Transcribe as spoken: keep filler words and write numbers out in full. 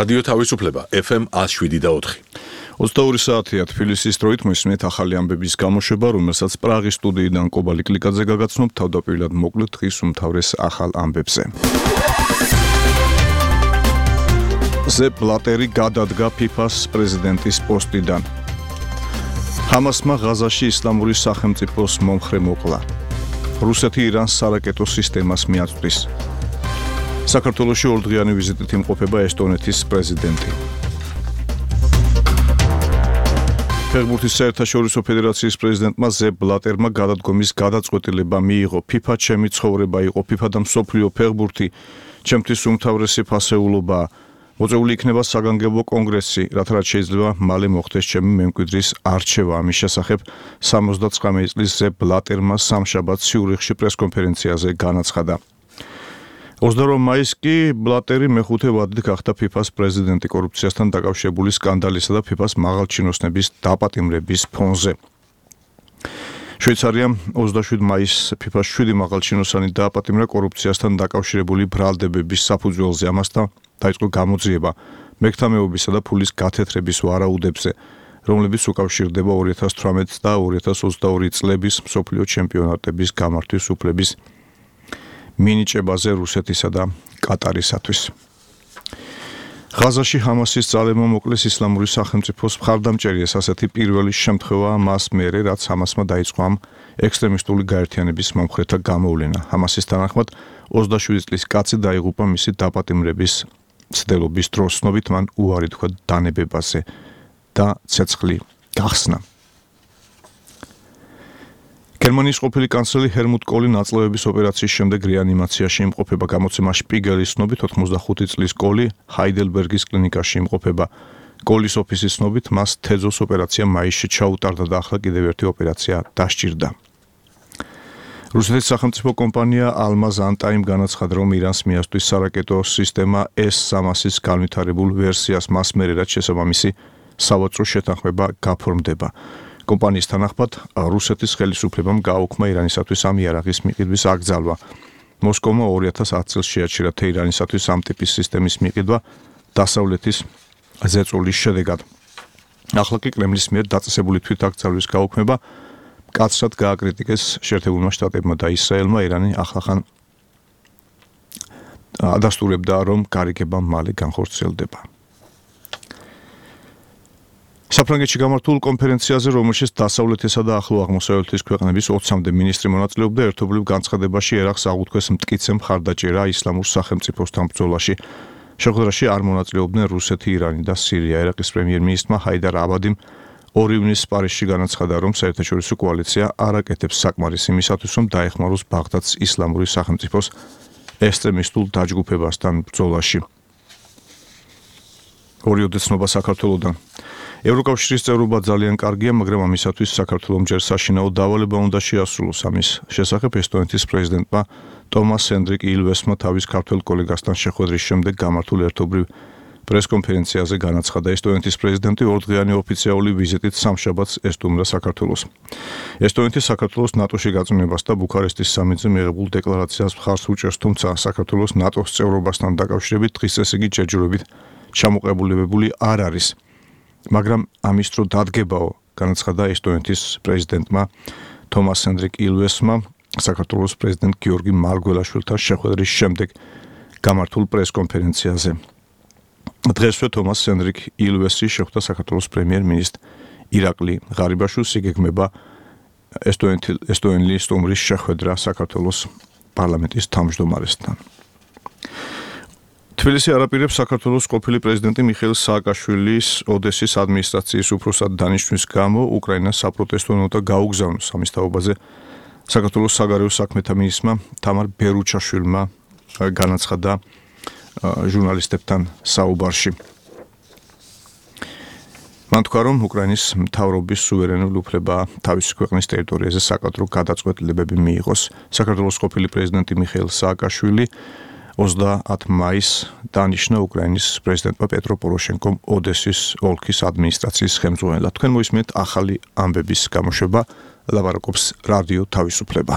რადიო თავისუფლება ეფ ემ ათს შვიდი და ოთხი. ოცდაორი საათია თბილისის დროით მოისმენთ ახალი ამბების გამოშვება, რომელსაც პრაღის სტუდიიდან კობალი კლიკაძე გაგაცნობთ თავდაპირველად მოკლედ დღის უმთავრეს ახალ ამბებზე. ზეპ ბლატერი გადადგა ფიფას პრეზიდენტის პოსტიდან. ჰამასმა ღაზაში ისლამური სახელმწიფოს მომხრე მოკლა. რუსეთი ირანს სარაკეტო სისტემას მიაწვდის. საქართველოში ორდღიანი ვიზიტით იმყოფება ესტონეთის პრეზიდენტი. ფეხბურთის საერთაშორისო ფედერაციის პრეზიდენტმა ზეპ ბლატერმა გადადგომის გადაწყვეტილება მიიღო. ფიფა ჩემი ცხოვრება იყო, ფიფა და მსოფლიო ფეხბურთი ჩემთვის უმთავრესი ფასეულობაა. მოწვეული იქნება საგანგებო კონგრესი, რათა რაც შეიძლება მალე მოხდეს ჩემი მემკვიდრის არჩევა. ამის შესახებ სამოცდაცხრამეტი წლის ზეპ ბლატერმა სამშაბათს ციურიხში პრესკონფერენციაზე განაცხადა. ოცდაორ მაისს კი ბლატერი მეხუთე ვადით გახდა ფიფას პრეზიდენტი კორუფციასთან დაკავშირებული სკანდალისა და ფიფას მაღალჩინოსნების დაპატიმრების ფონზე. შვეიცარიამ ოცდაშვიდი მაისს ფიფას შვიდი მაღალჩინოსანი დააპატიმრა კორუფციასთან დაკავშირებული ბრალდებების საფუძველზე. ამასთან დაიწყო გამოძიება მექტამეობისა და ფულის გათეთრების ვარაუდებზე, რომლებიც უკავშირდება ორი ათას თვრამეტი და ორი ათას ოცდაორი წლების მსოფლიო ჩემპიონატების გამართვის უფლების მინიჭებაზე რუსეთისა და კატარისათვის. ღაზაში ჰამასის ძალებმა მოკლეს ისლამური სახელმწიფოს მხარდამჭერიას, ასეთი პირველი შემთხვევაა მას მერე, რაც ჰამასმა დაიწყო ამ ექსტრემისტული გაერთიანების მომხრეთა გამოვლენა. ჰამასის თანახმად ოცდაშვიდი წლის კაცი დაიღუპა მისი დაპატიმრების ცდილობის დროს, ცნობით მან უარი თქვა დანებებაზე და ცეცხლი გახსნა. გერმანიის ყოფილი კანცლერი ჰერმუტ კოლი ნაწლავების ოპერაციის შემდეგ რეანიმაციაში იმყოფება. გამოცემა შპიგელის ცნობით ოცდახუთი წლის კოლი ჰაიდელბერგის კლინიკაში იმყოფება. კოლის ოფისის ცნობით მას თეძოს ოპერაცია მაისში ჩაუტარდა და ახლა კიდევ ერთი ოპერაცია დასჭირდა. რუსეთის სახელმწიფო კომპანია ალმაზ ანტაიმ განაცხადა, რომ ირანს მიასწვის სარაკეტო სისტემა ეს სამასის განვითარებულ ვერსიას მას მერე, რაც შესაბამისი სავაჭრო შეთანხმება გაფორმდება. კომპანიის თანახმად რუსეთის ხელისუფლებამ გააუქმა ირანისათვის ამ იარაღის მიყიდვის აკრძალვა. მოსკოვმა ორი ათას ათი წელს შეაჩერა თეირანისათვის ამ ტიპის სისტემის მიყიდვა დასავლეთის ზეწოლის შედეგად. ახლა კი კრემლის მიერ დაწესებული თვითაკრძალვის გაუქმება მკაცრად გააკრიტიკეს შეერთებულმა შტატებმა და ისრაელმა. ირანი ახლახან ადასტურებდა, რომ გარიგება მალე განხორციელდება. საფრანგეთში გამართულ კონფერენციაზე, რომელშიც დასავლეთისა და ახლო აღმოსავლეთის ქვეყნების ოცამდე მინისტრი მონაწილეობდა, ერთობლივ განცხადებაში ერახს აღუთქვეს მტკიცე მხარდაჭერა ისლამურ სახელმწიფოსთან ბრძოლაში. შეხვედრაში არ მონაწილეობდნენ რუსეთი, ირანი და სირია. ერაყის პრემიერ-მინისტრმა ჰაიდარ აბადიმ ორი ივნისს პარიზში განაცხადა, რომ საერთაშორისო კოალიცია არ აკეთებს საკმარისს იმისათვის, რომ დაეხმაროს ბაღდადს ისლამური სახელმწიფოს ექსტრემისტულ დაჯგუფებასთან ბრძოლაში. ორი ოდესნობა საქართველოდან. ევროკავშირის წევრობა ძალიან კარგია, მაგრამ ამისათვის საქართველომ ჯერ საშინაო დავალება უნდა შეასრულოს. ამის შესახებ ესტონეთის პრეზიდენტმა ტომას ჰენდრიკ ილვესმა თავის ქართველ კოლეგასთან შეხვედრის შემდეგ გამართულ ერთობრივ პრესკონფერენციაზე განაცხადა. ესტონეთის პრეზიდენტი ორდღიანი ოფიციალური ვიზიტით სამშაბათს ესტუმრა საქართველოს. ესტონეთი საქართველოს ნატოში გაწმენებას და ბუქარესტის სამიტზე მიღებულ დეკლარაციას მხარს უჭერს, თუმცა საქართველოს ნატოს წევრობასთან დაკავშირებით დღის წესრიგი ჯერჯერობით ჩამოყალიბებული არ არის. მაგრამ ამის დრო დადგებაო, განაცხადა ესტონეთის პრეზიდენტმა თომას ჰენდრიკ ილვესმა საქართველოს პრეზიდენტ გიორგი მარგველაშვილთან შეხვედრის შემდეგ გამართულ პრესკონფერენციაზე. დღესვე თომას ჰენდრიკ ილვესი შეხვდა საქართველოს პრემიერ-მინისტრ ირაკლი ღარიბაშვილს. იგეგმება ესტონელი სტუმრის შეხვედრა საქართველოს პარლამენტის თავმჯდომარესთან. თბილისი არაპირებს საქართველოს ყოფილი პრეზიდენტი მიხეილ სააკაშვილის ოდესის ადმინისტრაციის უფროსად დანიშვნის გამო უკრაინას საპროტესტო ნოტა გაუგზავნოს. ამის თაობაზე საქართველოს საგარეო საქმეთა მინისტრმა თამარ ბერუჩაშვილმა განაცხადა ჟურნალისტებთან საუბარში. მან თქვა, რომ უკრაინის მთავრობის სუვერენული უფლება თავისი ქვეყნის ტერიტორიაზე საკადრო გადაწყვეტილებები მიიღოს. საქართველოს ყოფილი პრეზიდენტი მიხეილ სააკაშვილი ოცდაათი მაისს დანიშნა უკრაინის პრეზიდენტმა პეტრო პოროშენკომ ოდესის ოლქის ადმინისტრაციის ხელმძღვანელად. თქვენ მოისმენთ ახალი ამბების გამოშვება, ლაპარაკობს რადიო თავისუფლება.